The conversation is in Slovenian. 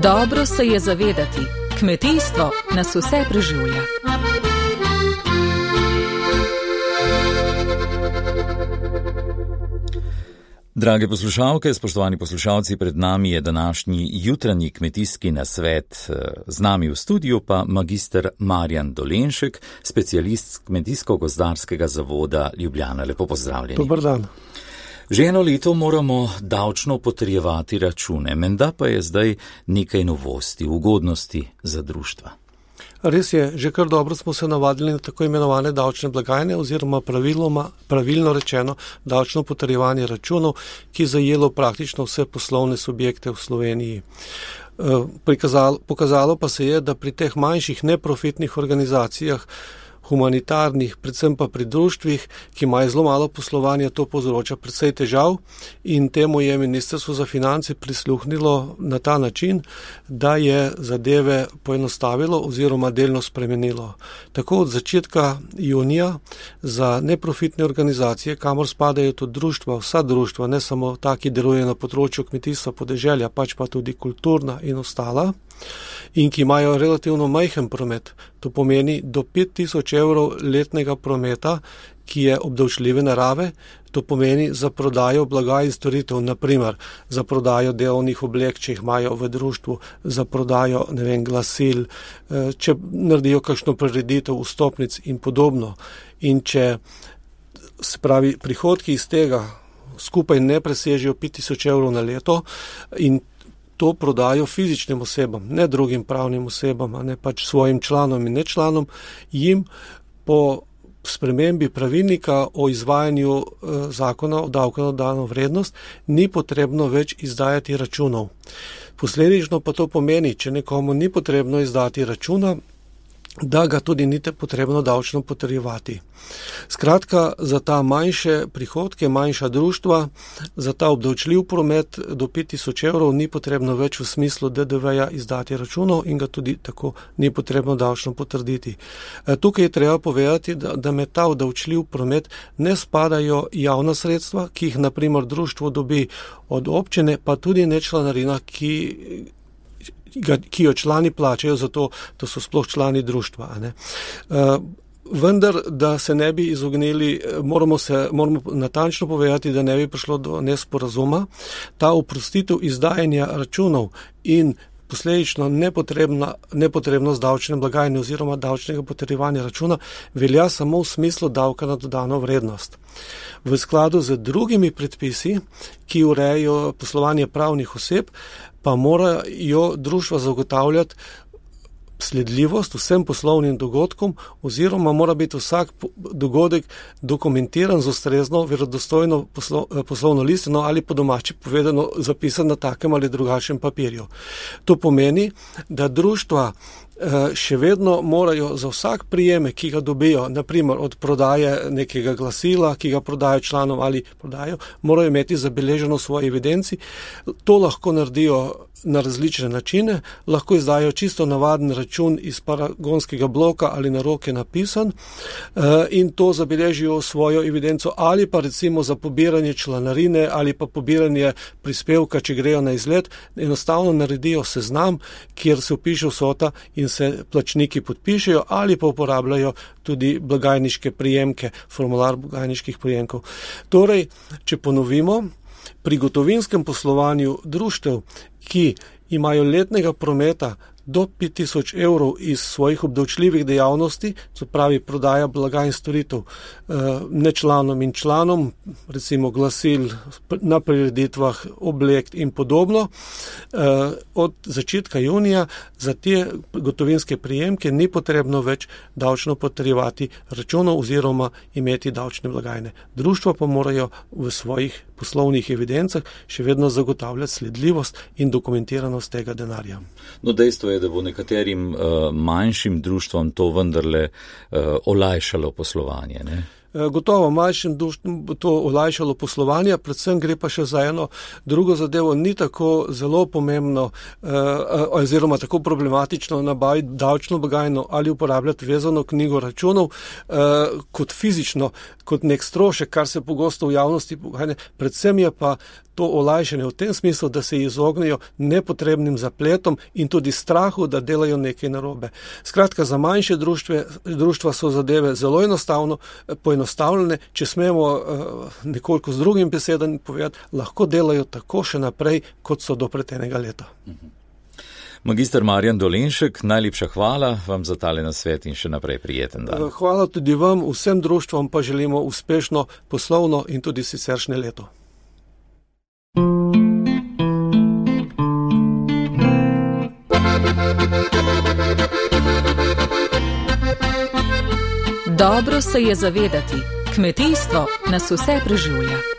Dobro se je zavedati, kmetijstvo nas vse preživlja. Drage poslušalke, spoštovani poslušalci, pred nami je današnji jutranji kmetijski nasvet. Z nami v studiu pa magister Marjan Dolenšek, specialist Kmetijsko-gozdarskega zavoda Ljubljana. Lepo pozdravljeni. Dobar dan. Že eno leto moramo davčno potrjevati račune, menda pa je zdaj nekaj novosti, ugodnosti za društva. Res je, že kar dobro smo se navadili na tako imenovane davčne blagajne oziroma pravilno rečeno davčno potrjevanje računov, ki je zajelo praktično vse poslovne subjekte v Sloveniji. Pokazalo pa se je, da pri teh manjših neprofitnih organizacijah, humanitarnih, predvsem pa pri društvih, ki imajo zelo malo poslovanja, to povzroča precej težav in temu je Ministrstvo za finance prisluhnilo na ta način, da je zadeve poenostavilo oziroma delno spremenilo. Tako od začetka junija za neprofitne organizacije, kamor spadajo tudi društva, vsa društva, ne samo ta, ki delujejo na področju kmetijstva, podeželja, pač pa tudi kulturna in ostala, in ki imajo relativno majhen promet, to pomeni do 5000 evrov letnega prometa, ki je obdavčljive narave, to pomeni za prodajo blaga in storitev, naprimer za prodajo delovnih oblek, če jih imajo v društvu, za prodajo, glasil, če naredijo kakšno prireditev, vstopnic in podobno. In če se pravi prihodki iz tega skupaj ne presežejo 5000 evrov na leto in to prodajo fizičnim osebam, ne drugim pravnim osebam, ne pač svojim članom in nečlanom, jim po spremembi pravilnika o izvajanju zakona o davku na dodano vrednost ni potrebno več izdajati računov. Posledično pa to pomeni, če nekomu ni potrebno izdati računa, da ga tudi ni potrebno davčno potrjevati. Skratka, za ta manjše prihodke, manjša društva, za ta obdavčljiv promet do 5000 evrov ni potrebno več v smislu DDV-ja izdati računov in ga tudi tako ni potrebno davčno potrditi. Tukaj je treba povedati, da med ta obdavčljiv promet ne spadajo javna sredstva, ki jih naprimer društvo dobi od občine, pa tudi ne članarina, ki jo člani plačajo, zato to so sploh člani društva. Vendar, da se ne bi izognili, moramo natančno povedati, da ne bi prišlo do nesporazuma. Ta oprostitev izdajanja računov in posledično nepotrebnost davčne blagajne oziroma davčnega potrjevanja računa velja samo v smislu davka na dodano vrednost. V skladu z drugimi predpisi, ki urejajo poslovanje pravnih oseb, pa morajo društva zagotavljati sledljivost vsem poslovnim dogodkom oziroma mora biti vsak dogodek dokumentiran z ustrezno verodostojno poslovno listino ali po domače povedano zapisan na takem ali drugačnem papirju. To pomeni, da društva še vedno morajo za vsak prijemek, ki ga dobijo, naprimer od prodaje nekega glasila, ki ga prodajo članom ali prodajo, morajo imeti zabeleženo v svoji evidenci. To lahko naredijo na različne načine, lahko izdajo čisto navaden račun iz paragonskega bloka ali na roke napisan in to zabeležijo v svojo evidenco ali pa recimo za pobiranje članarine ali pa pobiranje prispevka, če grejo na izlet, enostavno naredijo seznam, kjer se vpiše vsota in se plačniki podpišejo ali pa uporabljajo tudi blagajniške prijemke, formular blagajniških prijemkov. Torej, če ponovimo, pri gotovinskem poslovanju društev, ki imajo letnega prometa do 5000 evrov iz svojih obdavčljivih dejavnosti, to pravi prodaja blaga in storitev nečlanom in članom, recimo glasil na prireditvah, oblek in podobno, od začetka junija za te gotovinske prijemke ni potrebno več davčno potrjevati računov oziroma imeti davčne blagajne. Društva pa morajo v svojih poslovnih evidencah še vedno zagotavljati sledljivost in dokumentiranost tega denarja. No, dejstvo je, da bo nekaterim manjšim društvom to vendarle olajšalo poslovanje, ne? Gotovo manjšim društvom bo to olajšalo poslovanje, predvsem gre pa še za eno drugo zadevo, ni tako zelo pomembno oziroma tako problematično nabaviti davčno blagajno ali uporabljati vezano knjigo računov kot fizično, kot nek strošek, kar se pogosto v javnosti pogajne. Predvsem je pa to olajšanje v tem smislu, da se izognejo nepotrebnim zapletom in tudi strahu, da delajo nekaj narobe. Skratka, za manjše društva so zadeve zelo poenostavljene, če smemo nekoliko z drugim besedami povedati, lahko delajo tako še naprej, kot so do pretenega leta. Magister Marjan Dolenšek, najlepša hvala vam za tale nasvet in še naprej prijeten dan. Hvala tudi vam, vsem društvom pa želimo uspešno poslovno in tudi siceršnje leto. Dobro se je zavedati, kmetijstvo nas vse preživlja.